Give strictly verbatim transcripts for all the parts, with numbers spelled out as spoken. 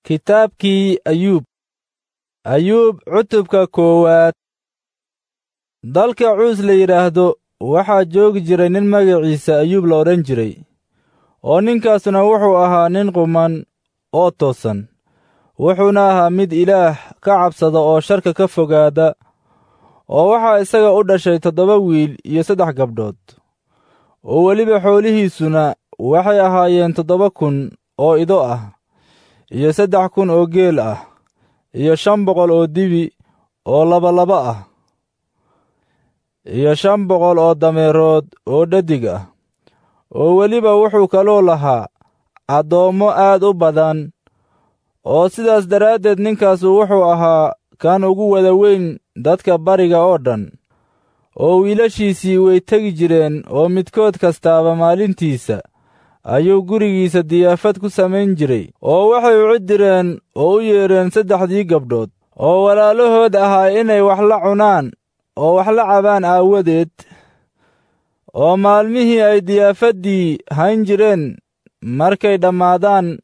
Kitaabkii Ayuub. Ayuub cutubka koowaad. Dalka Cuus la yidhaahdo waxaa joogi jiray nin magaciisa Ayuub la odhan jiray, oo ninkaasuna wuxuu ahaa nin quman oo toosan, wuxuuna ahaa mid Ilaah ka cabsada oo sharka ka fogaada, oo waxaa isaga u dhashay toddoba wiil iyo saddex gabdhood, oo weliba xoolihiisuna waxay ahaayeen toddoba kun oo ido ah, iyo saddex kun oo geel ah, iyo shan boqol oo dibi oo labalaba ah, iyo shan boqol oo dameerood oo dhadig ah, oo weliba wuxuu kaloo lahaa addoommo aad u badan, oo sidaas daraaddeed ninkaasu wuxuu ahaa kan ugu wada weyn dadka bariga oo dhan. Oo wiilashiisii way tegi jireen, oo midkood kastaaba maalintiisa ayuu gurigiisa diyaafad ku samayn jiray, oo waxay u cidireen oo u yeedheen saddexdii gabdhood oo walaalahood ahaa inay wax la cunaan oo wax la cabaan aawadeed. Oo maalmihii ay diyaafaddii hayn jireen markay dhammaadaan,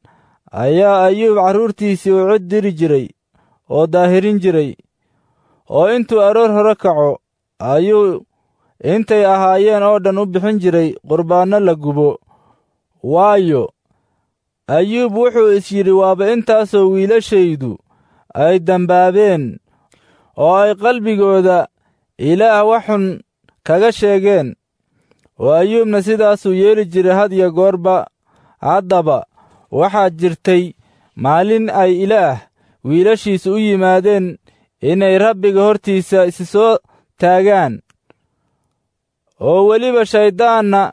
ayaa Ayuub carruurtiisii u cid diri jiray oo daahirin jiray, oo intuu aroor hore kaco ayuu intay ahaayeen oo dhan u bixin jiray qurbaanno la gubo. Waayo, Ayuub wuxuu is yidhi, waaba intaasoo wiilashaydu ay dembaabeen oo ay qalbigooda Ilaah wax xun kaga sheegeen. Oo Ayuubna sidaasuu yeeli jiray had iyo goorba. Haddaba waxaa jirtay maalin ay Ilaah wiilashiisu u yimaadeen inay Rabbiga hortiisa isi soo taagaan, oo weliba shayddaanna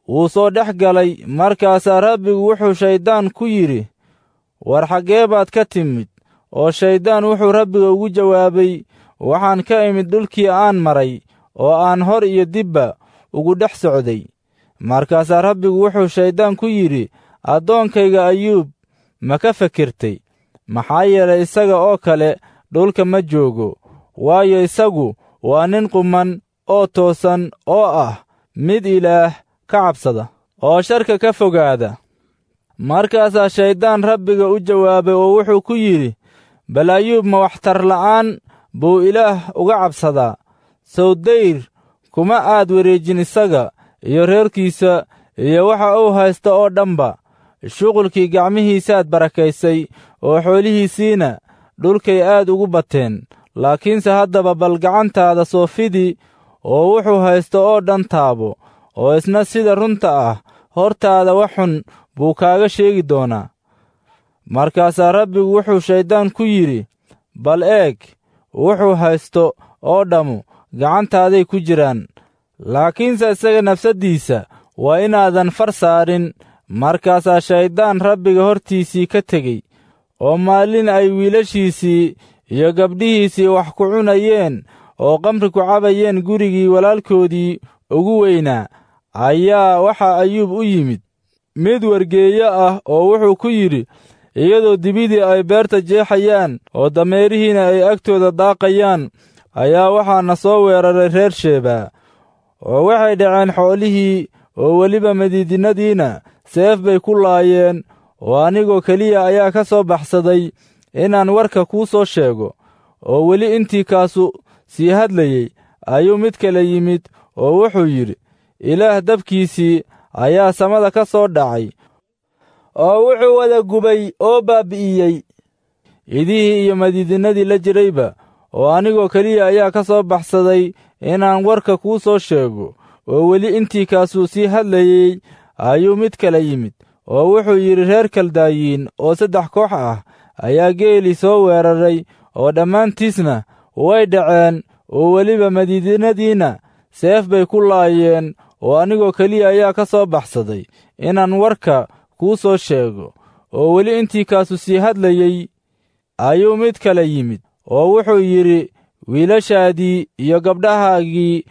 wuu soo dhex galay. Markaasaa Rabbigu wuxuu shayddaan ku yidhi, war xaggee baad ka timid? Oo shayddaan wuxuu Rabbiga ugu jawaabay, waxaan ka imid dhulkii aan maray oo aan hor iyo dibba ugu dhex socday. Markaasaa Rabbigu wuxuu shayddaan ku yidhi, addoonkayga Ayuub ma ka fikirtay? Maxaa yeelay isaga oo kale dhulka ma joogo, waayo isagu waa nin quman oo toosan oo ah mid Ilaah ka cabsada oo sharka ka fogaada. Markaasaa shayddaan Rabbiga u jawaabay oo wuxuu ku yidhi, bal Ayuub ma waxtar la'aan buu Ilaah uga cabsadaa? Sow dayr kuma aad wareejin isaga iyo reerkiisa iyo waxa uu haysta oo dhanba. Shuqulkii gacmihiisaad barakaysay, oo xoolihiisiina dhulkay aad ugu bateen. Laakiinse haddaba bal gacantaada soo fidi oo wuxuu haysto oo dhan taabo, oo isna sida runta ah hortaada wax xun buu kaaga sheegi doonaa. Markaasaa Rabbigu wuxuu shayddaan ku yidhi, bal eeg, wuxuu haysto oo dhammu gacantaaday ku jiraan, laakiinse isaga nafsaddiisa waa inaadan far saarin. Markaasaa shayddaan Rabbiga hortiisii ka tegey, oo maalin ay wiilashiisii iyo gabdhihiisii wax ku cunayeen oo qamri ku cabayeen gurigii walaalkoodii ugu weynaa, ayaa waxaa Ayuub u yimid mid wargeeyo ah oo wuxuu ku yidhi, iyadoo dibidii ay beerta jeexayaan oo dameerihiina ay agtooda daaqayaan, ayaa waxaa na soo weeraray reer Sheebaa, oo waxay dhaceen xoolihii, oo weliba madiidinadiina seef bay ku laayeen, oo anigoo keliya ayaa ka soo baxsaday inaan warka kuu soo sheego. Oo weli intii kaasu sii hadlayey ayuu mid kale yimid oo wuxuu yidhi, Ilaah dabkiisii ayaa samada ka soo dhacay, oo wuxuu wada gubay oo baabbi'iyey idihii iyo madiidinadii la jirayba, oo anigoo keliya ayaa ka soo baxsaday inaan warka kuu soo sheego. Oo weli intii kaasuu sii hadlayey ayuu mid kale yimid oo wuxuu yidhi, reer Kaldaayiin oo saddex koox ah ayaa geelii soo weeraray, oo dhammaantiisna way dhaceen, oo weliba madiidinadiina seef bay ku laayeen, oo anigoo keliya ayaa ka soo baxsaday inaan warka kuu soo sheego. Oo weli intii kaasu sii hadlayey ayuu mid kale yimid oo wuxuu yidhi, wiilashaadii iyo gabdhahaagii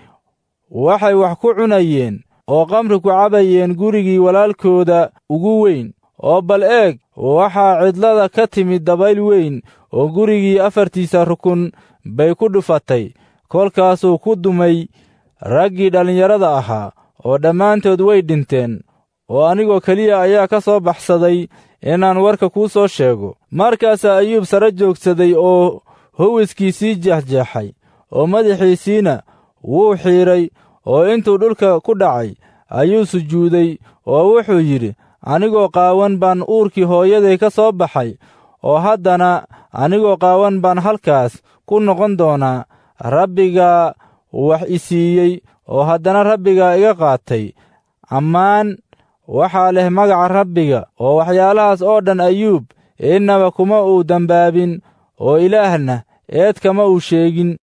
waxay wax ku cunayeen oo qamri ku cabayeen gurigii walaalkooda ugu weyn, oo bal eeg, waxaa cidlada ka timid dabayl weyn oo gurigii afartiisa rukun bay ku dhufatay. Kolkaasuu ku dumay raggii dhallinyarada ahaa, oo dhammaantood way dhinteen, oo anigoo keliya ayaa ka soo baxsaday inaan warka kuu soo sheego. Markaasaa Ayuub sare joogsaday oo huwiskiisii jeexjeexay, oo madaxiisiina wuu xiidhay, oo intuu dhulka ku dhacay ayuu sujuuday, oo wuxuu yidhi, Anigoo qaawan baan uurkii hooyaday ka soo baxay, oo haddana anigoo qaawan baan halkaas ku noqon doonaa. Rabbigaa wax i siiyey, oo haddana Rabbigaa iga qaatay. Ammaan waxaa leh magaca Rabbiga. Oo waxyaalahaas oo dhan Ayuub innaba kuma uu dembaabin, oo Ilaahna eed kama uu sheegin.